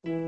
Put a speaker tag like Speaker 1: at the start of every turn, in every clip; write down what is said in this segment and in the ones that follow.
Speaker 1: Dobar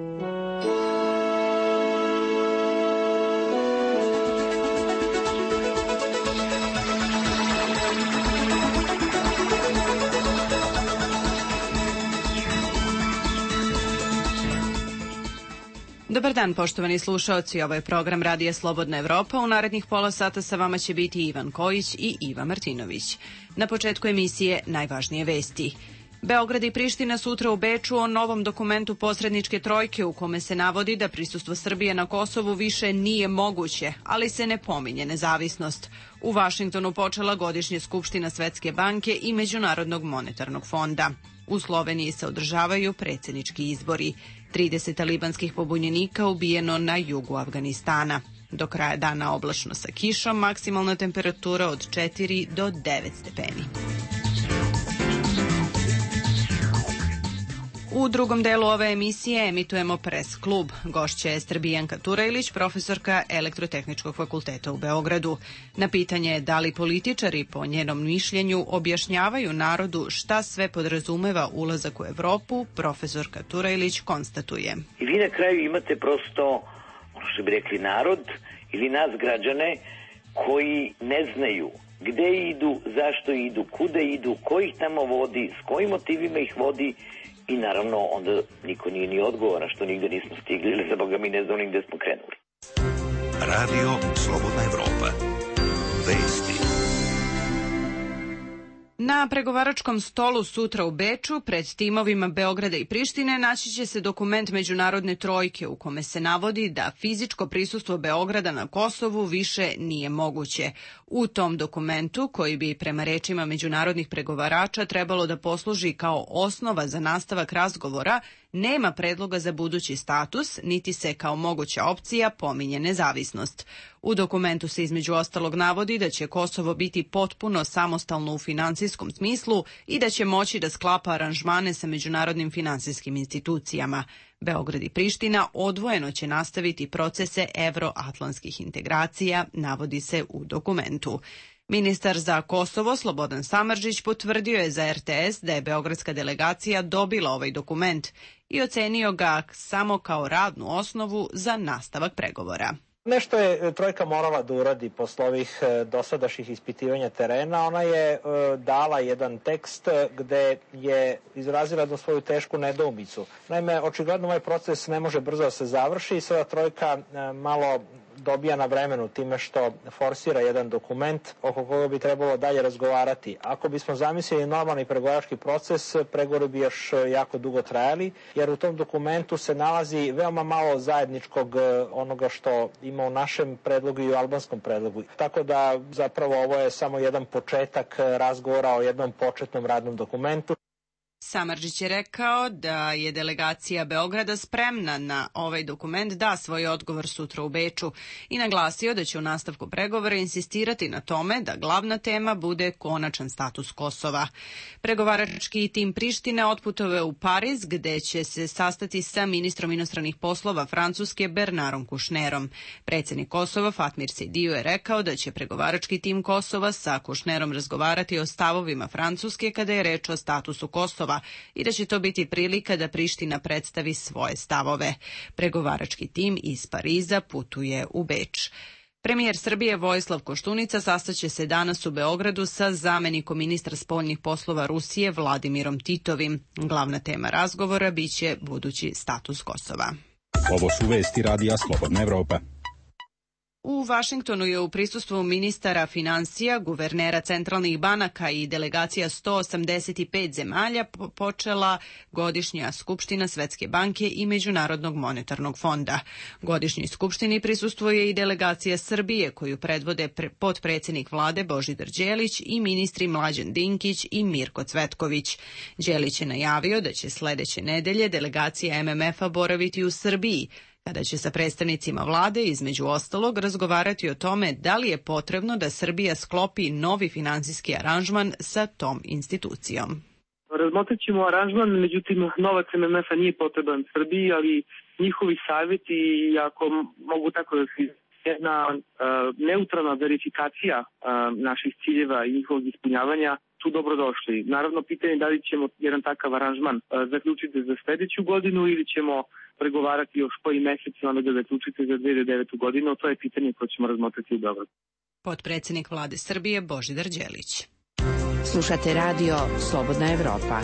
Speaker 1: dan, poštovani slušaoci. Ovo je program Radija Slobodna Evropa. U narednih pola sata sa vama će biti Ivan Kojić i Iva Martinović. Na početku emisije najvažnije vesti. Beograd i Priština sutra u Beču o novom dokumentu posredničke trojke u kome se navodi da prisustvo Srbije na Kosovu više nije moguće, ali se ne pominje nezavisnost. U Vašingtonu počela godišnja skupština Svetske banke i Međunarodnog monetarnog fonda. U Sloveniji se održavaju predsjednički izbori. 30 talibanskih pobunjenika ubijeno na jugu Afganistana. Do kraja dana oblačno sa kišom, maksimalna temperatura od 4 do 9 stepeni. U drugom delu ove emisije emitujemo Pres klub. Gošća je Bijanka Turajlić, profesorka Elektrotehničkog fakulteta u Beogradu. Na pitanje da li političari, po njenom mišljenju, objašnjavaju narodu šta sve podrazumeva ulazak u Evropu, profesorka Turajlić konstatuje.
Speaker 2: I vi na kraju imate prosto, ono što bi rekli, narod ili nas građane koji ne znaju gde idu, zašto idu, kuda idu, ko ih tamo vodi, s kojim motivima ih vodi. I naravno, onda niko nije ni odgovoran što nigde nismo stigli, ili za Boga mi ne znamo ni gde smo krenuli.
Speaker 3: Radio Slobodna Evropa. Vesti.
Speaker 1: Na pregovaračkom stolu sutra u Beču, pred timovima Beograda i Prištine, naći će se dokument Međunarodne trojke u kome se navodi da fizičko prisustvo Beograda na Kosovu više nije moguće. U tom dokumentu, koji bi prema rečima međunarodnih pregovarača trebalo da posluži kao osnova za nastavak razgovora, nema predloga za budući status, niti se kao moguća opcija pominje nezavisnost. U dokumentu se između ostalog navodi da će Kosovo biti potpuno samostalno u finansijskom smislu i da će moći da sklapa aranžmane sa međunarodnim finansijskim institucijama. Beograd i Priština odvojeno će nastaviti procese evroatlantskih integracija, navodi se u dokumentu. Ministar za Kosovo Slobodan Samardžić potvrdio je za RTS da je beogradska delegacija dobila ovaj dokument i ocenio ga samo kao radnu osnovu za nastavak pregovora.
Speaker 4: Nešto je trojka morala da uradi posle ovih dosadašnjih ispitivanja terena. Ona je dala jedan tekst gde je izrazila jednu svoju tešku nedoumicu. Naime, očigledno ovaj proces ne može brzo da se završi i sada trojka malo dobija na vremenu time što forsira jedan dokument oko koga bi trebalo dalje razgovarati. Ako bismo zamislili normalni pregovarački proces, pregovori bi još jako dugo trajali, jer u tom dokumentu se nalazi veoma malo zajedničkog onoga što ima u našem predlogu i u albanskom predlogu. Tako da zapravo ovo je samo jedan početak razgovora o jednom početnom radnom dokumentu.
Speaker 1: Samardžić je rekao da je delegacija Beograda spremna na ovaj dokument da svoj odgovor sutra u Beču i naglasio da će u nastavku pregovora insistirati na tome da glavna tema bude konačan status Kosova. Pregovarački tim Prištine otputovao u Pariz gde će se sastati sa ministrom inostranih poslova Francuske Bernardom Kouchnerom. Predsjednik Kosova Fatmir Sejdiu je rekao da će pregovarački tim Kosova sa Kouchnerom razgovarati o stavovima Francuske kada je reč o statusu Kosova i da će to biti prilika da Priština predstavi svoje stavove. Pregovarački tim iz Pariza putuje u Beč. Premijer Srbije Vojislav Koštunica sastaće se danas u Beogradu sa zamenikom ministra spoljnih poslova Rusije Vladimirom Titovim. Glavna tema razgovora biće budući status Kosova.
Speaker 5: Ovo su vesti Radija Slobodna Evropa.
Speaker 1: U Vašingtonu je u prisustvu ministara finansija, guvernera centralnih banaka i delegacija 185 zemalja počela godišnja skupština Svetske banke i Međunarodnog monetarnog fonda. Godišnjoj skupštini prisustvuje i delegacija Srbije koju predvode potpredsjednik vlade Božidar Đelić i ministri Mlađan Dinkić i Mirko Cvetković. Đelić je najavio da će sledeće nedelje delegacija MMF-a boraviti u Srbiji, kada će sa predstavnicima vlade, između ostalog, razgovarati o tome da li je potrebno da Srbija sklopi novi finansijski aranžman sa tom institucijom.
Speaker 6: Razmotrit ćemo aranžman, međutim, novac MMF-a nije potreban Srbiji, ali njihovi savjeti, ako mogu tako da se jedna neutralna verifikacija naših ciljeva i njihovog ispunjavanja, tu tu dobrodošli. Naravno, pitanje je da li ćemo jedan takav aranžman zaključiti za sledeću godinu ili ćemo pregovarati još koji mesec i onda ga zaključiti za 2009. godinu. To je pitanje koje ćemo razmotriti u Beogradu.
Speaker 1: Potpredsednik Vlade Srbije Božidar Đelić.
Speaker 7: Slušate radio Slobodna Evropa.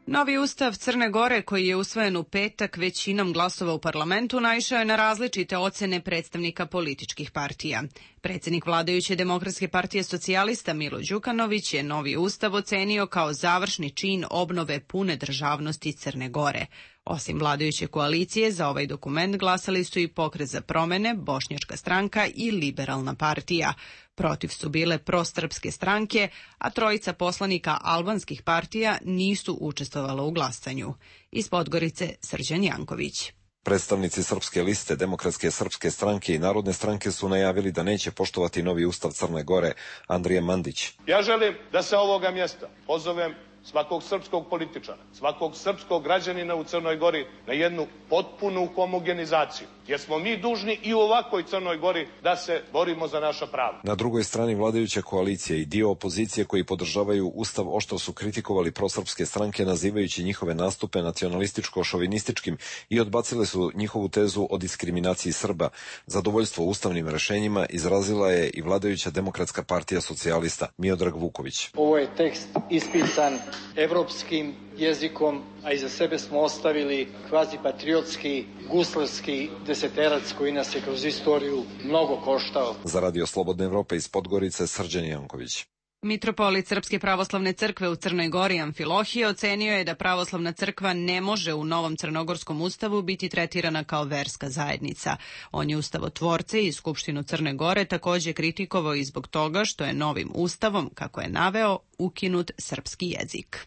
Speaker 1: Novi ustav Crne Gore, koji je usvojen u petak većinom glasova u parlamentu, naišao je na različite ocene predstavnika političkih partija. Predsednik vladajuće Demokratske partije socijalista Milo Đukanović je novi ustav ocenio kao završni čin obnove pune državnosti Crne Gore. Osim vladajuće koalicije, za ovaj dokument glasali su i Pokret za promene, Bošnjačka stranka i Liberalna partija. Protiv su bile prosrpske stranke, a trojica poslanika albanskih partija nisu učestvovala u glasanju. Iz Podgorice Srđan Janković.
Speaker 8: Predstavnici Srpske liste, Demokratske srpske stranke i Narodne stranke su najavili da neće poštovati novi ustav Crne Gore. Andrija Mandić.
Speaker 9: Ja želim da sa ovoga mjesta pozovem svakog srpskog političara, svakog srpskog građanina u Crnoj Gori na jednu potpunu homogenizaciju. Jer smo mi dužni i u ovakvoj Crnoj Gori da se borimo za naša prava.
Speaker 8: Na drugoj strani vladajuća koalicija i dio opozicije koji podržavaju ustav oštro su kritikovali prosrpske stranke nazivajući njihove nastupe nacionalističko-šovinističkim i odbacile su njihovu tezu o diskriminaciji Srba. Zadovoljstvo ustavnim rešenjima izrazila je i vladajuća Demokratska partija socijalista Miodrag Vuković.
Speaker 10: Ovo je tekst ispisan evropskim jezikom, a iza sebe smo ostavili kvazipatriotski, guslarski deseterac koji nas je kroz istoriju mnogo koštao.
Speaker 8: Za Radio Slobodne Evrope iz Podgorice Srđan Janković.
Speaker 1: Mitropolit Srpske pravoslavne crkve u Crnoj Gori Amfilohije ocenio je da pravoslavna crkva ne može u novom crnogorskom ustavu biti tretirana kao verska zajednica. On je ustavotvorce i Skupštinu Crne Gore takođe kritikovao i zbog toga što je novim ustavom, kako je naveo, ukinut srpski jezik.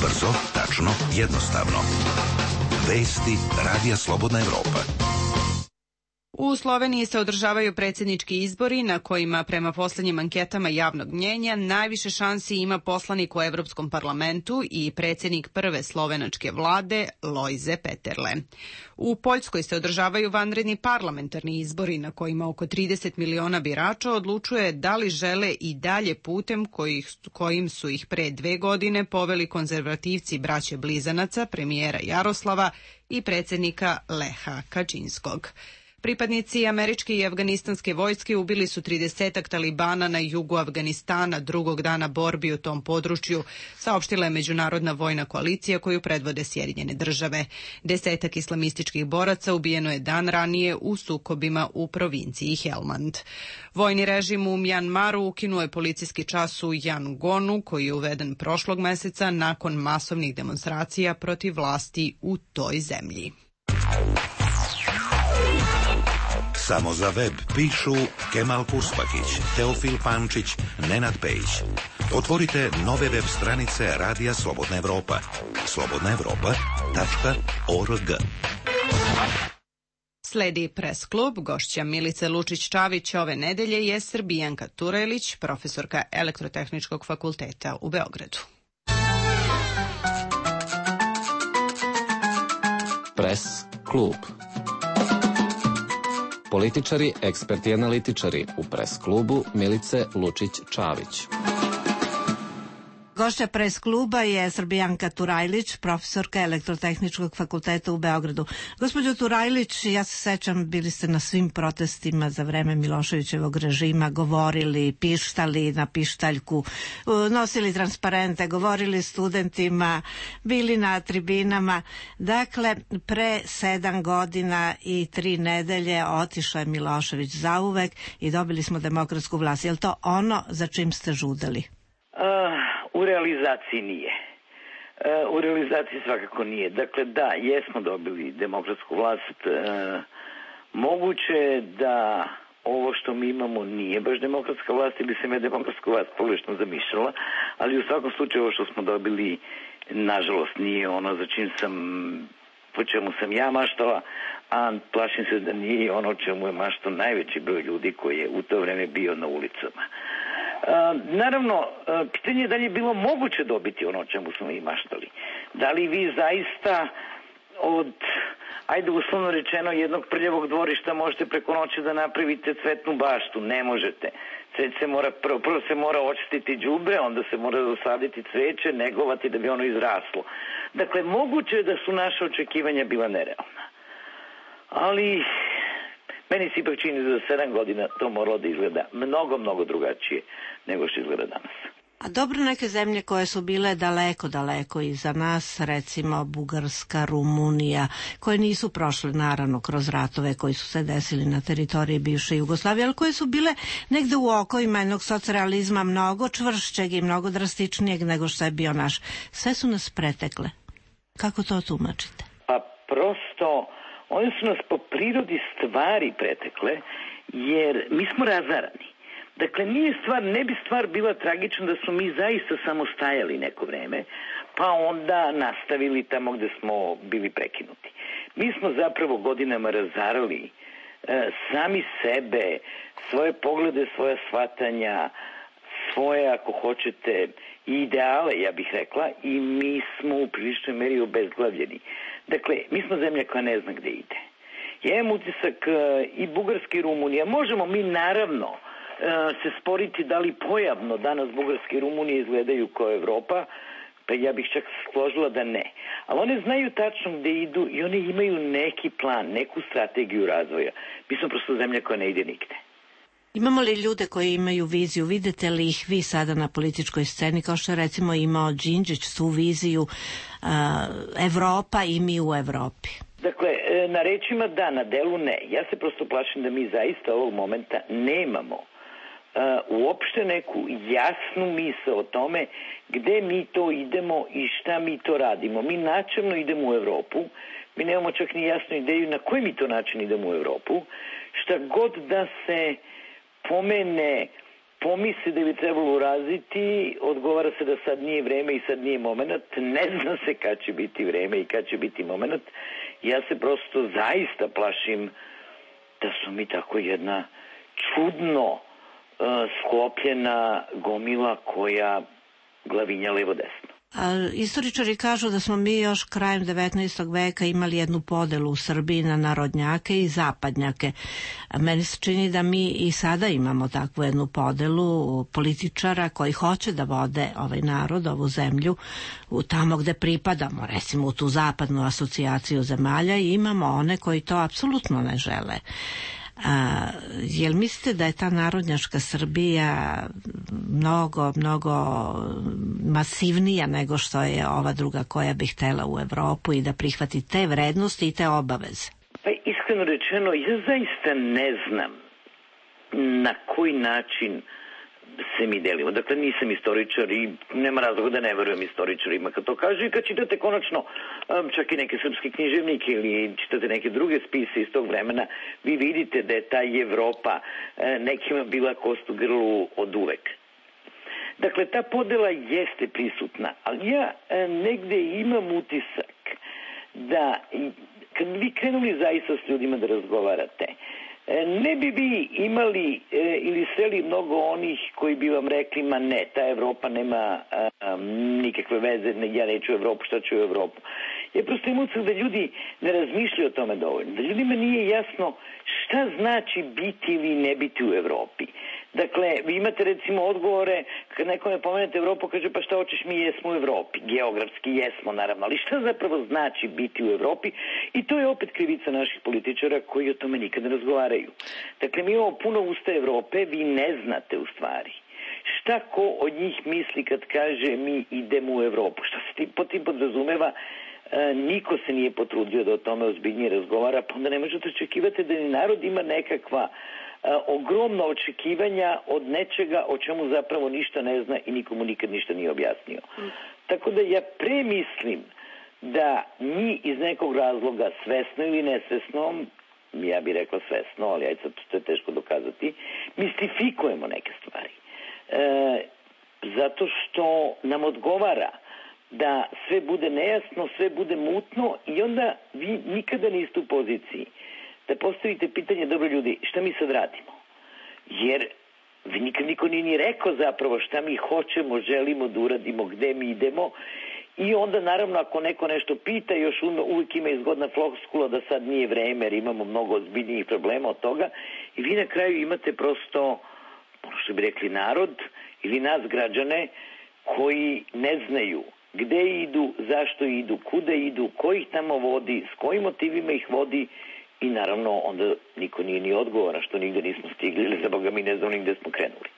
Speaker 3: Brzo, tačno, jednostavno. Vesti Radija Slobodna Evropa.
Speaker 1: U Sloveniji se održavaju predsjednički izbori na kojima prema poslednjim anketama javnog mnjenja najviše šansi ima poslanik u Evropskom parlamentu i predsjednik prve slovenačke vlade Lojze Peterle. U Poljskoj se održavaju vanredni parlamentarni izbori na kojima oko 30 miliona birača odlučuje da li žele i dalje putem kojim su ih pre 2 godine poveli konzervativci braće Blizanaca, premijera Jaroslava i predsjednika Leha Kačinskog. Pripadnici američke i afganistanske vojske ubili su 30-ak talibana na jugu Afganistana drugog dana borbi u tom području, saopštila je Međunarodna vojna koalicija koju predvode Sjedinjene države. 10-ak islamističkih boraca ubijeno je dan ranije u sukobima u provinciji Helmand. Vojni režim u Mjanmaru ukinuo je policijski čas u Yangonu, koji je uveden prošlog meseca nakon masovnih demonstracija protiv vlasti u toj zemlji.
Speaker 3: Samo za web pišu Kemal Puspakić, Teofil Pančić, Nenad Pejić. Otvorite nove web stranice Radija Slobodna Evropa. slobodnaevropa.org.
Speaker 1: Sledi Press klub. Gošća Milice Lučić-Čavić ove nedelje je Srbijanka Turajlić, profesorka Elektrotehničkog fakulteta u Beogradu.
Speaker 11: Press klub. Političari, eksperti i analitičari u Press klubu Milice Lučić-Čavić.
Speaker 12: Gošća Press kluba je Srbijanka Turajlić, profesorka Elektrotehničkog fakulteta u Beogradu. Gospođo Turajlić, ja se sećam, bili ste na svim protestima za vreme Miloševićevog režima, govorili, pištali na pištaljku, nosili transparente, govorili studentima, bili na tribinama. Dakle, pre 7 godina i 3 nedelje otišao je Milošević zauvek i dobili smo demokratsku vlast. Je li to ono za čim ste žudeli?
Speaker 2: U realizaciji nije. U realizaciji svakako nije. Dakle, da, jesmo dobili demokratsku vlast. Moguće je da ovo što mi imamo nije baš demokratska vlast ili se me demokratska vlast pogrešno zamišljala, ali u svakom slučaju ovo što smo dobili, nažalost, nije ono za po čemu sam ja maštala, a plašim se da nije ono čemu je maštao najveći broj ljudi koji je u to vreme bio na ulicama. Naravno, pitanje je da li je bilo moguće dobiti ono o čemu smo i maštali. Da li vi zaista ajde uslovno rečeno, jednog prljavog dvorišta možete preko noći da napravite cvetnu baštu. Ne možete. Prvo se mora očistiti đubre, onda se mora zasaditi cveće, negovati da bi ono izraslo. Dakle, moguće je da su naše očekivanja bila nerealna. Ali meni se ipak čini da za 7 godina to moralo da izgleda mnogo, mnogo drugačije nego što izgleda danas.
Speaker 12: A dobro, neke zemlje koje su bile daleko, daleko iza nas, recimo Bugarska, Rumunija, koje nisu prošle naravno kroz ratove koji su se desili na teritoriji bivše Jugoslavije, ali koje su bile negde u okovima jednog socrealizma mnogo čvršćeg i mnogo drastičnijeg nego što je bio naš. Sve su nas pretekle. Kako to tumačite?
Speaker 2: Pa prosto, one su nas po prirodi stvari pretekle, jer mi smo razarani. Dakle, ne bi stvar bila tragična da smo mi zaista samo stajali neko vreme, pa onda nastavili tamo gde smo bili prekinuti. Mi smo zapravo godinama razarali sami sebe, svoje poglede, svoja shvatanja, svoje, ako hoćete, ideale, ja bih rekla, i mi smo u priličnoj meri obezglavljeni. Dakle, mi smo zemlja koja ne zna gde ide. Ja imam utisak i Bugarske i Rumunije. Možemo mi naravno se sporiti da li pojavno danas Bugarske i Rumunije izgledaju kao Evropa, pa ja bih čak složila da ne. Ali one znaju tačno gde idu i one imaju neki plan, neku strategiju razvoja. Mi smo prosto zemlja koja ne ide nigde.
Speaker 12: Imamo li ljude koji imaju viziju? Vidite li ih vi sada na političkoj sceni, kao što je recimo imao Đinđić tu viziju Evropa i mi u Evropi?
Speaker 2: Dakle, na rečima da, na delu ne. Ja se prosto plašim da mi zaista ovog momenta nemamo uopšte neku jasnu misao o tome gde mi to idemo i šta mi to radimo. Mi načelno idemo u Evropu, mi nemamo čak ni jasnu ideju na koji mi to način idemo u Evropu. Šta god da se pomene, pomisli da bi trebalo uraziti, odgovara se da sad nije vreme i sad nije moment. Ne zna se kad će biti vreme i kad će biti moment. Ja se prosto zaista plašim da su mi tako jedna čudno sklopljena gomila koja glavinja levo desno.
Speaker 12: Istoričari kažu da smo mi još krajem 19. veka imali jednu podelu u Srbiji na narodnjake i zapadnjake. Meni se čini da mi i sada imamo takvu jednu podelu političara koji hoće da vode ovaj narod, ovu zemlju, tamo gde pripadamo, recimo u tu zapadnu asocijaciju zemalja, i imamo one koji to apsolutno ne žele. Jel mislite da je ta narodnjačka Srbija mnogo masivnija nego što je ova druga koja bi htela u Evropu i da prihvati te vrednosti i te obaveze?
Speaker 2: Pa iskreno rečeno, ja zaista ne znam na koji način se mi delimo. Dakle, nisam istoričar i nema razloga da ne verujem istoričarima kad to kažu, i kad čitate konačno čak i neke srpske književnike ili čitate neke druge spise iz tog vremena, vi vidite da je ta Evropa nekima bila kost u grlu od uvek. Dakle, ta podela jeste prisutna, ali ja negde imam utisak da kad bi krenuli zaista s ljudima da razgovarate, ne bi vi imali ili sreli mnogo onih koji bi vam rekli, ma ne, ta Evropa nema nikakve veze, ja neću u Evropu, šta ću u Evropu. Ja prosto imam utisak da ljudi ne razmišljaju o tome dovoljno, da ljudima nije jasno šta znači biti ili ne biti u Evropi. Dakle, vi imate recimo odgovore, kad nekome pomenete Evropu, kaže pa šta hoćeš, mi jesmo u Evropi. Geografski jesmo, naravno, ali šta zapravo znači biti u Evropi? I to je opet krivica naših političara koji o tome nikad ne razgovaraju. Dakle, mi imamo puno usta Evrope, vi ne znate u stvari šta ko od njih misli kad kaže mi idemo u Evropu. Šta se po tim podrazumeva? Niko se nije potrudio da o tome ozbiljnije razgovara, pa onda ne možete očekivati da ni narod ima nekakva ogromna očekivanja od nečega o čemu zapravo ništa ne zna i nikomu nikad ništa nije objasnio. Tako da ja premislim da mi iz nekog razloga, svesno ili nesvesno, ja bih rekla svesno, ali ajde sad to je teško dokazati, mistifikujemo neke stvari. Zato što nam odgovara da sve bude nejasno, sve bude mutno, i onda vi nikada niste u poziciji da postavite pitanje, dobro ljudi, šta mi sad radimo? Jer nikad niko nije ni rekao zapravo šta mi hoćemo, želimo da uradimo, gde mi idemo, I onda naravno ako neko nešto pita, još uvijek ima izgodna floskula da sad nije vreme jer imamo mnogo ozbiljnijih problema od toga i vi na kraju imate prosto, ono što bi rekli, narod ili nas građane koji ne znaju gde idu, zašto idu, kuda idu, ko ih tamo vodi, s kojim motivima ih vodi i naravno onda niko nije ni odgovoran što nigde nismo stigli ili za Boga mi ne znamo ni gde smo krenuli.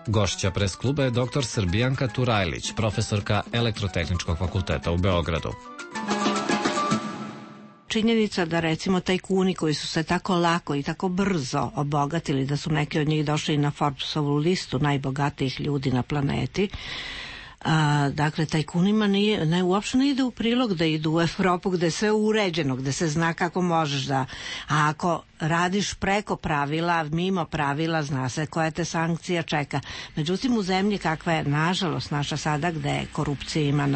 Speaker 11: Gošća pres kluba je dr. Srbijanka Turajlić, profesorka Elektrotehničkog fakulteta u Beogradu.
Speaker 12: Činjenica da recimo tajkuni koji su se tako lako i tako brzo obogatili, da su neki od njih došli na Forbesovu listu najbogatijih ljudi na planeti, dakle, tajkunima uopšte ne ide u prilog da idu u Evropu gde je sve uređeno, gde se zna kako možeš da... A ako radiš preko pravila, mimo pravila, zna se koja te sankcija čeka. Međutim, u zemlji kakva je, nažalost, naša sada, gde korupcija ima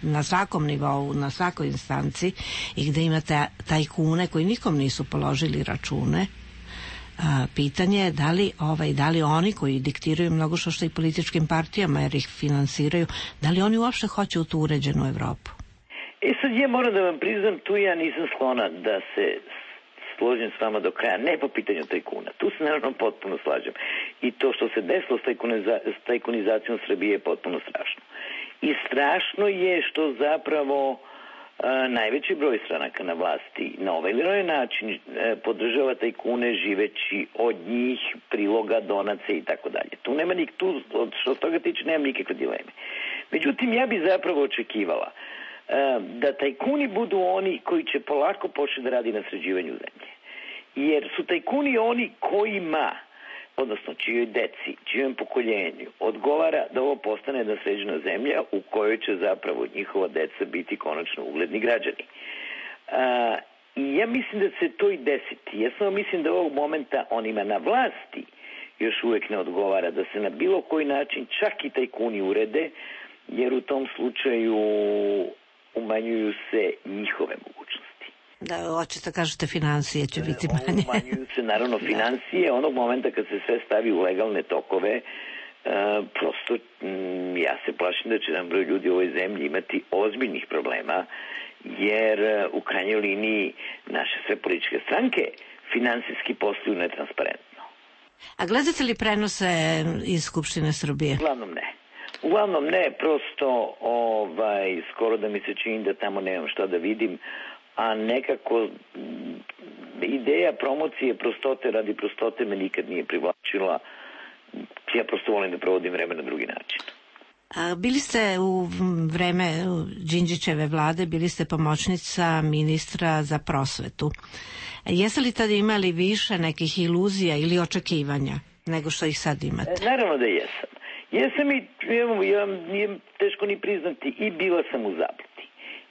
Speaker 12: na svakom nivou, na svakoj instanci i gde imate tajkune koji nikom nisu položili račune, pitanje je da li oni koji diktiraju mnogo što i političkim partijama jer ih finansiraju, da li oni uopšte hoće u tu uređenu Evropu?
Speaker 2: Sad ja moram da vam priznam, tu ja nisam sklona da se složim s vama do kraja, ne po pitanju tajkuna. Tu se naravno potpuno slažem. I to što se desilo s tajkunizacijom Srbije je potpuno strašno. I strašno je što zapravo najveći broj stranaka na vlasti na ovaj ili onaj način podržava tajkune živeći od njih, priloga, donace i tako dalje. Tu nema što s toga tiče nema nikakve dileme. Međutim, ja bi zapravo očekivala da tajkuni budu oni koji će polako početi da radi na sređivanju zemlje. Jer su tajkuni oni kojima, odnosno čijoj deci, čijem pokoljenju odgovara da ovo postane jedna sređena zemlja u kojoj će zapravo njihova deca biti konačno ugledni građani. I ja mislim da se to i desiti. Ja samo mislim da ovog momenta onima na vlasti još uvijek ne odgovara da se na bilo koji način čak i tajkuni urede, jer u tom slučaju umanjuju se njihove mogućnosti.
Speaker 12: Da, hoćete kažete financije će biti manje.
Speaker 2: Umanjuju se naravno financije, onog momenta kad se sve stavi u legalne tokove, prosto ja se plašim da će nam broj ljudi u ovoj zemlji imati ozbiljnih problema, jer u krajnjoj liniji naše sve političke stranke finansijski posluju netransparentno.
Speaker 12: A gledate li prenose iz Skupštine Srbije?
Speaker 2: Uglavnom ne, prosto skoro da mi se čini da tamo nemam šta da vidim, a nekako ideja promocije prostote radi prostote me nikad nije privlačila. Ja prosto volim da provodim vreme na drugi način.
Speaker 12: Bili ste u vreme Đinđićeve vlade, bili ste pomoćnica ministra za prosvetu. Jeste li tada imali više nekih iluzija ili očekivanja nego što ih sad imate?
Speaker 2: Naravno da jesam. Jesam i nije teško ni priznati i bila sam u zabludi.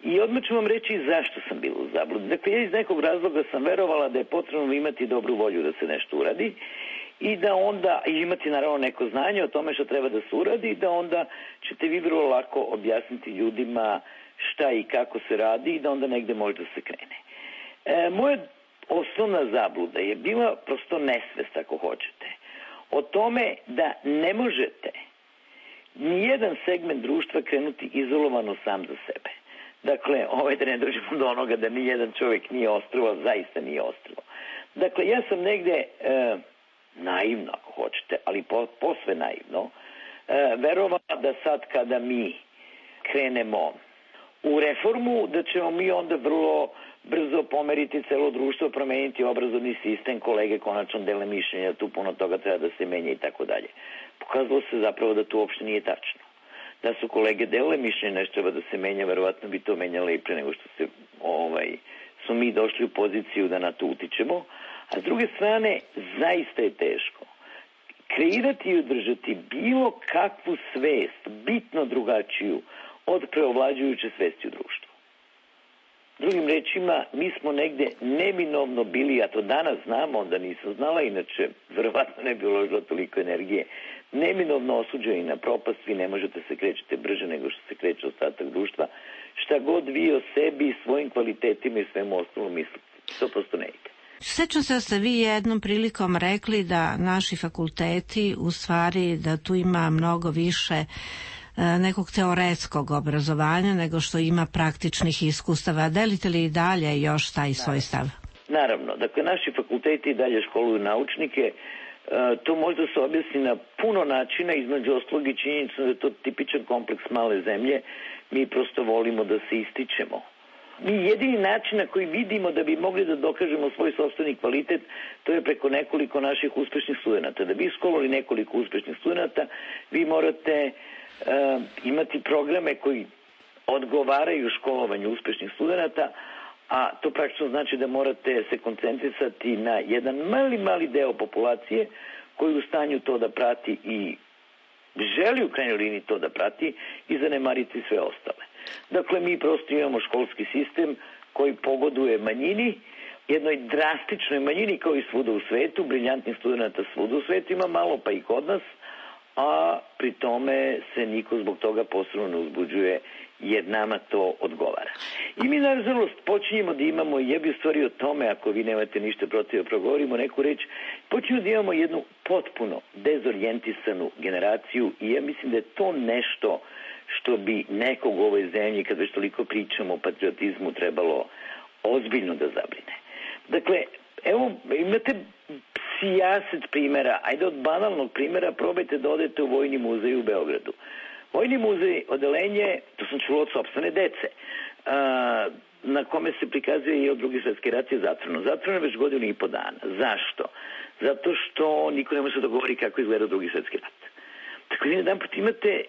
Speaker 2: I odmah ću vam reći zašto sam bila u zabludi. Dakle, ja iz nekog razloga sam verovala da je potrebno imati dobru volju da se nešto uradi i da onda imati naravno neko znanje o tome što treba da se uradi i da onda ćete vi vrlo lako objasniti ljudima šta i kako se radi i da onda negde može da se krene. Moja osnovna zabluda je bila prosto nesvest, ako hoćete, o tome da ne možete nijedan segment društva krenuti izolovano sam za sebe. Dakle, da ne dođemo do onoga da nijedan čovjek nije ostrvo, zaista nije ostrvo. Dakle, ja sam negde naivno, ako hoćete, ali posve naivno, verovala da sad kada mi krenemo u reformu, da ćemo mi onda vrlo brzo pomeriti celo društvo, promeniti obrazovni sistem, kolege konačno dele mišljenja, tu puno toga treba da se menja i tako dalje. Pokazalo se zapravo da to uopšte nije tačno. Da su kolege delile mišljenje nešto treba da se menja, verovatno bi to menjalo i pre nego što smo mi došli u poziciju da na to utičemo. A s druge strane, zaista je teško kreirati i održati bilo kakvu svest, bitno drugačiju od preovlađujuće svesti u društvu. Drugim rečima, mi smo negde neminovno bili, a to danas znamo, onda nisam znala, inače verovatno ne bi uložila toliko energije, neminovno osuđeni na propast, vi ne možete se krećete brže nego što se kreće ostatak društva, šta god vi o sebi, svojim kvalitetima i svemu ostalom mislite. To prosto ne ide.
Speaker 12: Sećam se da ste vi jednom prilikom rekli da naši fakulteti, u stvari da tu ima mnogo više nekog teoretskog obrazovanja nego što ima praktičnih iskustava. Delite li i dalje još taj svoj stav?
Speaker 2: Naravno. Dakle, naši fakulteti i dalje školuju naučnike. To možda se objasni na puno načina, između ostalog i činjenica da je to tipičan kompleks male zemlje. Mi prosto volimo da se ističemo. Mi jedini način na koji vidimo da bi mogli da dokažemo svoj sopstveni kvalitet, to je preko nekoliko naših uspešnih studenata. Da bi isškolovali nekoliko uspešnih studenata, vi morate imati programe koji odgovaraju školovanju uspešnih studenata, a to praktično znači da morate se koncentrisati na jedan mali deo populacije koji je u stanju to da prati i želi u krajnjoj liniji to da prati i zanemariti sve ostale. Dakle, mi prosto imamo školski sistem koji pogoduje manjini, jednoj drastičnoj manjini kao i svuda u svetu, briljantnih studenta svuda u svetu ima malo pa i kod nas, a pri tome se niko zbog toga posebno ne uzbuđuje jer nama to odgovara. I mi naravno počinjemo da imamo, ja bih stvari o tome, ako vi nemate ništa protiv da progovorimo neku reč, počinjemo da imamo jednu potpuno dezorijentisanu generaciju i ja mislim da je to nešto što bi nekog u ovoj zemlji, kad već toliko pričamo o patriotizmu, trebalo ozbiljno da zabrine. Dakle, evo, imate sijaset primjera, ajde od banalnog primjera probajte da odete u Vojni muzej u Beogradu. Vojni muzej, odelenje, to sam čulo od sopstvene dece, na kome se prikazuje i od Drugi svetski rat je zatvoreno. Zatvoreno je već 1.5 dana. Zašto? Zato što niko ne može da govori kako izgleda Drugi svetski rat. Tako da jedan put imate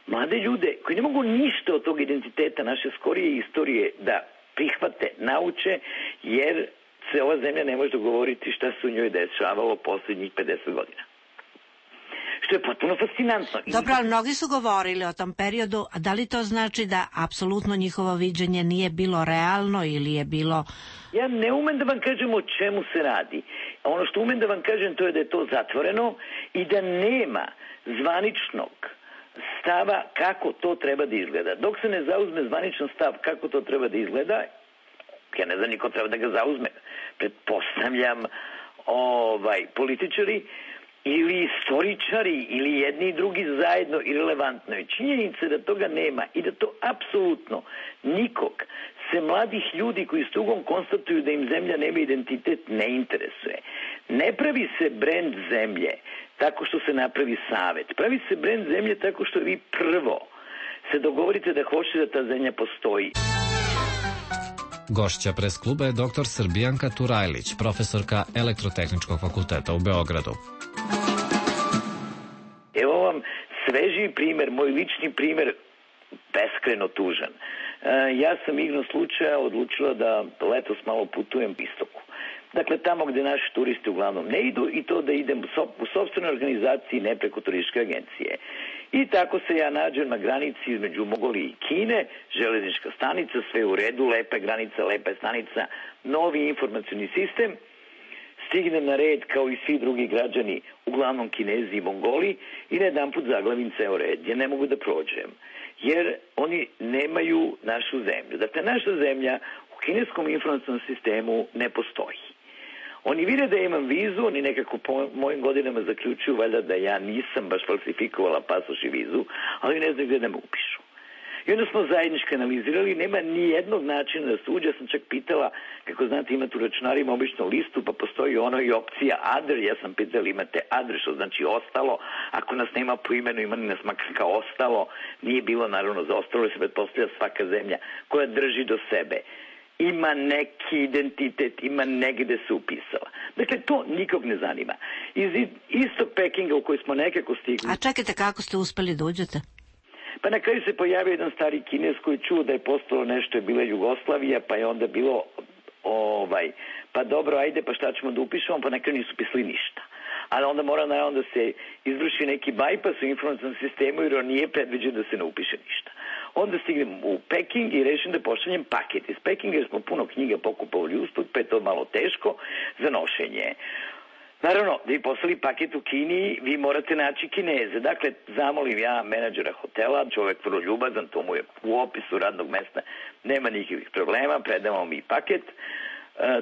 Speaker 2: mlade ljude koji ne mogu ništa od tog identiteta naše skorije istorije da prihvate, nauče, jer se ova zemlja ne može dogovoriti šta se u njoj dešavalo posljednjih 50 godina. Što je potpuno fascinantno.
Speaker 12: Dobro, ali mnogi su govorili o tom periodu, a da li to znači da apsolutno njihovo viđenje nije bilo realno ili je bilo...
Speaker 2: Ja ne umem da vam kažem o čemu se radi. Ono što umem da vam kažem to je da je to zatvoreno i da nema zvaničnog stava kako to treba da izgleda. Dok se ne zauzme zvaničan stav kako to treba da izgleda, ja ne znam niko treba da ga zauzme. Pretpostavljam političari ili istoričari ili jedni i drugi zajedno irelevantno je. Činjenica da toga nema i da to apsolutno nikog se mladih ljudi koji s tugom konstatuju da im zemlja nema identitet ne interesuje. Ne pravi se brend zemlje tako što se napravi savet. Pravi se brend zemlje tako što vi prvo se dogovorite da hoćete da ta zemlja postoji.
Speaker 11: Gošća pres kluba je dr. Srbijanka Turajlić, profesorka Elektrotehničkog fakulteta u Beogradu.
Speaker 2: Evo vam svežiji primer, moj lični primer, beskreno tužan. Ja sam igrom slučaja odlučila da letos malo putujem istoku. Dakle, tamo gde naši turisti uglavnom ne idu i to da idem u sopstvenoj organizaciji, ne preko turističke agencije. I tako se ja nađem na granici između Mongolije i Kine, železnička stanica, sve u redu, lepa granica, lepa stanica, novi informacioni sistem. Stignem na red kao i svi drugi građani, uglavnom Kinezi i Mongoli, i na jedan put zaglavim ceo red. Ja ne mogu da prođem, jer oni nemaju našu zemlju. Dakle, naša zemlja u kineskom informacionom sistemu ne postoji. Oni vide da imam vizu, oni nekako po mojim godinama zaključuju valjda da ja nisam baš falsifikovala pasoš i vizu, ali ne znaju gde da me upišu. I onda smo zajednički analizirali, nema ni jednog načina da se uđe. Ja sam čak pitala, kako znate, imate u računarima obično listu, pa postoji ono i opcija other. Ja sam pitala, imate other, što znači ostalo. Ako nas nema po imenu, ima nas makar kao ostalo. Nije bilo naravno za ostalo, jer se pretpostavlja svaka zemlja koja drži do sebe ima neki identitet, ima negde se upisala. Dakle, to nikog ne zanima. Iz istog Pekinga u koji smo nekako stigli...
Speaker 12: A čekajte, kako ste uspeli da uđete?
Speaker 2: Pa na kraju se pojavio jedan stari Kinez koji čuo da je postalo nešto, je bila Jugoslavija, pa je onda bilo pa dobro, ajde, pa šta ćemo da upišemo, pa na kraju nisu pisali ništa. Ali onda mora naravno da se izvrši neki bypass u informacijnom sistemu, jer on nije predviđen da se ne upiše ništa. Onda stignem u Peking i rešim da pošaljem paket iz Pekinga, jer smo puno knjiga pokupovali usput, pa je to malo teško za nošenje. Naravno, da bi poslali paket u Kini, vi morate naći Kineze. Dakle, zamolim ja menadžera hotela, čovek vrlo ljubazan, to mu je u opisu radnog mesta, nema nikakvih problema, predamo mi paket,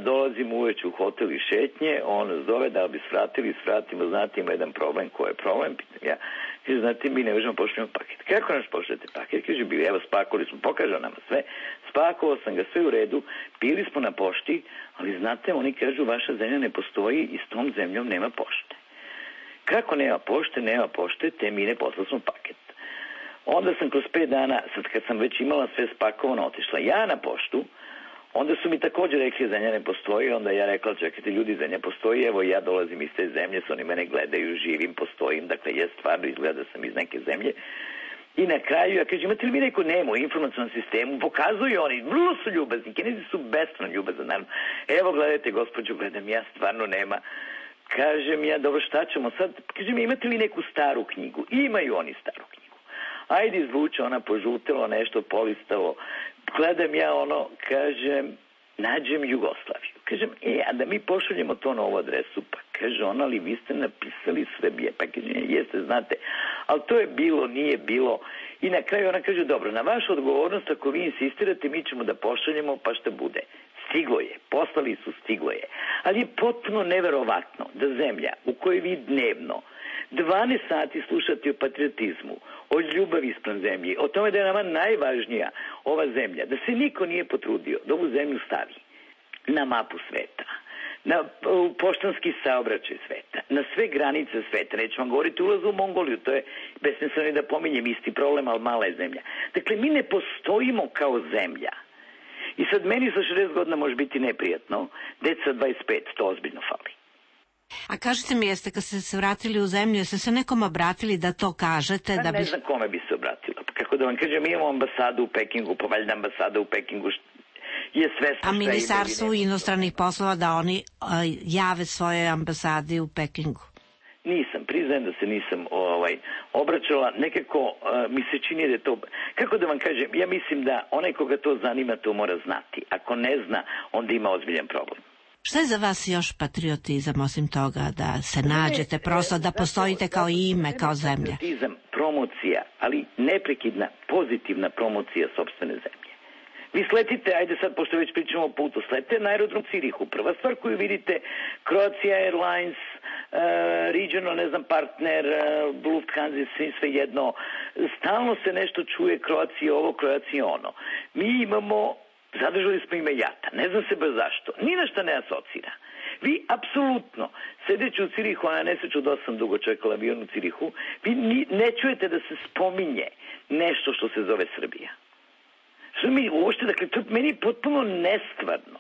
Speaker 2: dolazim uveče u hotel i šetnje, on zove da bi svratili, svratimo, znate, ima jedan problem, ko je problem, pitam ja, Kaže, znate, mi ne možemo pošaljemo paket. Kako naš pošaljete paket? Kaže, evo, spakovali smo, pokažao nama sve, spakovao sam ga, sve u redu, bili smo na pošti, ali znate, oni kažu, vaša zemlja ne postoji i s tom zemljom nema pošte. Kako nema pošte, te mine, poslali smo paket. Onda sam kroz 5 dana, sad kad sam već imala sve spakovano, otišla ja na poštu, onda su mi također rekli zemlja ne postoji, onda ja rekla čekajte ljudi, zemlja postoji, evo ja dolazim iz te zemlje, su oni mene gledaju, živim, postojim, dakle ja stvarno izgleda da sam iz neke zemlje. I na kraju ja kažem, imate li vi neko nemo u informacionom sistemu, pokazuju oni, vrlo su ljubazni, Kinezi su beskrajno ljubazni, naravno. Evo gledajte gospođu, gledam ja, stvarno nema. Kažem ja, dobro šta ćemo sad, kažem imate li neku staru knjigu? Imaju oni staru knjigu. Ajde izvuče, ona požutelo nešto, polistalo. Gledam ja ono, kažem, nađem Jugoslaviju. Kažem, a da mi pošaljemo to na ovu adresu, pa kaže ona, ali vi ste napisali Srbije, pa kaže, jeste, znate, ali to je bilo, nije bilo. I na kraju ona kaže, dobro, na vašu odgovornost, ako vi insistirate, mi ćemo da pošaljemo, pa šta bude. Stiglo je, poslali su, stiglo je. Ali je potpuno neverovatno da zemlja u kojoj vi dnevno 12 sati slušati o patriotizmu, o ljubavi ispred zemlje, o tome da je nama najvažnija ova zemlja, da se niko nije potrudio da ovu zemlju stavi na mapu sveta, na poštanski saobraćaj sveta, na sve granice sveta. Neću vam govoriti ulazu u Mongoliju, to je besmisleno da pominjem, isti problem, ali mala je zemlja. Dakle, mi ne postojimo kao zemlja. I sad meni sa 60 godina može biti neprijatno, deca 25, to ozbiljno fali.
Speaker 12: A kažete mi, jeste kad ste se vratili u zemlju, jeste se nekom obratili da to kažete? Da
Speaker 2: ne znam kome bi se obratila. Kako da vam kažem, mi imamo ambasadu u Pekingu, pa valjda ambasada u Pekingu je svesna.
Speaker 12: A Ministarstvu inostranih poslova da oni jave svoje ambasade u Pekingu?
Speaker 2: Nisam, priznajem da se nisam obraćala. Nekako mi se čini da je to... Kako da vam kažem, ja mislim da onaj koga to zanima to mora znati. Ako ne zna, onda ima ozbiljan problem.
Speaker 12: Šta je za vas još patriotizam, osim toga da se nađete, prosto da postojite kao ime, kao zemlja?
Speaker 2: Patriotizam, promocija, ali neprekidna, pozitivna promocija sopstvene zemlje. Vi sletite, ajde sad, pošto već pričamo o putu, sletite na aerodrom Cirihu. Prva stvar koju vidite, Croatia Airlines, Regional, ne znam, partner, Lufthansa, sve jedno, stalno se nešto čuje, Croatia ovo, Croatia ono. Mi imamo... Zadržali smo ime JATA. Ne znam se baš zašto. Ni na šta ne asocira. Vi apsolutno, sedeći u Cirihu, a na nesreću da sam dugo čekala avion u Cirihu, vi ne čujete da se spominje nešto što se zove Srbija. Što mi uopšte, dakle, to meni je potpuno nestvarno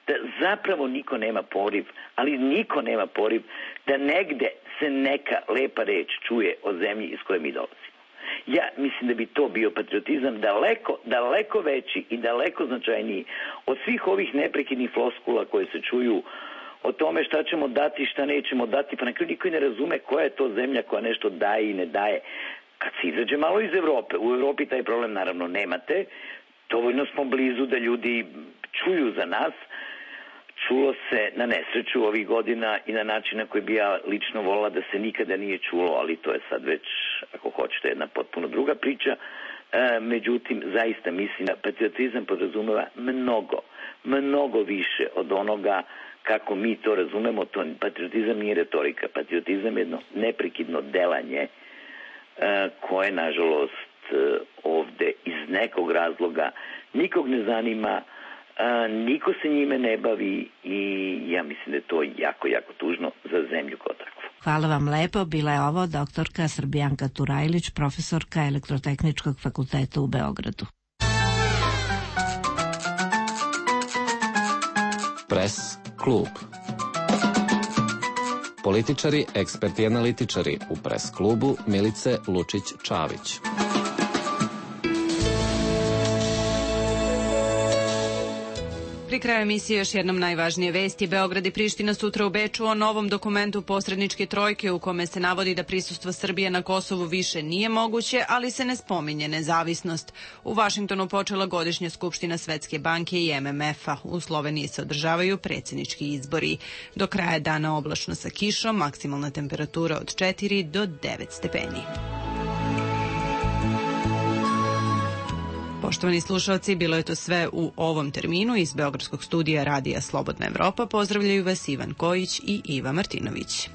Speaker 2: da zapravo niko nema poriv, ali niko nema poriv da negde se neka lepa reč čuje o zemlji iz koje mi dolazimo. Ja mislim da bi to bio patriotizam daleko veći i daleko značajniji od svih ovih neprekidnih floskula koje se čuju o tome šta ćemo dati, šta nećemo dati, pa na kraju niko ne razume koja je to zemlja koja nešto daje i ne daje. Kad se izađe malo iz Evrope, u Evropi taj problem naravno nemate, dovoljno smo blizu da ljudi čuju za nas. Čulo se na nesreću ovih godina i na način na koji bi ja lično volila da se nikada nije čulo, ali to je sad već, ako hoćete, jedna potpuno druga priča. Međutim, zaista mislim da patriotizam podrazumeva mnogo više od onoga kako mi to razumemo. Patriotizam nije retorika, patriotizam je jedno neprekidno delanje koje, nažalost, ovde iz nekog razloga nikog ne zanima, niko se njime ne bavi i ja mislim da je to jako, jako tužno za zemlju kao takvu.
Speaker 12: Hvala vam lepo. Bila je ovo doktorka Srbijanka Turajlić, profesorka Elektrotehničkog fakulteta u Beogradu.
Speaker 11: Press klub. Političari, eksperti i analitičari u Press klubu Milice Lučić-Čavić.
Speaker 1: Pri kraju emisije još jednom najvažnije vesti. Beograd i Priština sutra u Beču o novom dokumentu posredničke trojke u kome se navodi da prisustvo Srbije na Kosovu više nije moguće, ali se ne spominje nezavisnost. U Vašingtonu počela godišnja skupština Svetske banke i MMF-a. U Sloveniji se održavaju predsjednički izbori. Do kraja dana oblačno sa kišom, maksimalna temperatura od 4 do 9 stepeni. Poštovani slušalci, bilo je to sve u ovom terminu. Iz Beogradskog studija Radija Slobodna Evropa pozdravljaju vas Ivan Kojić i Iva Martinović.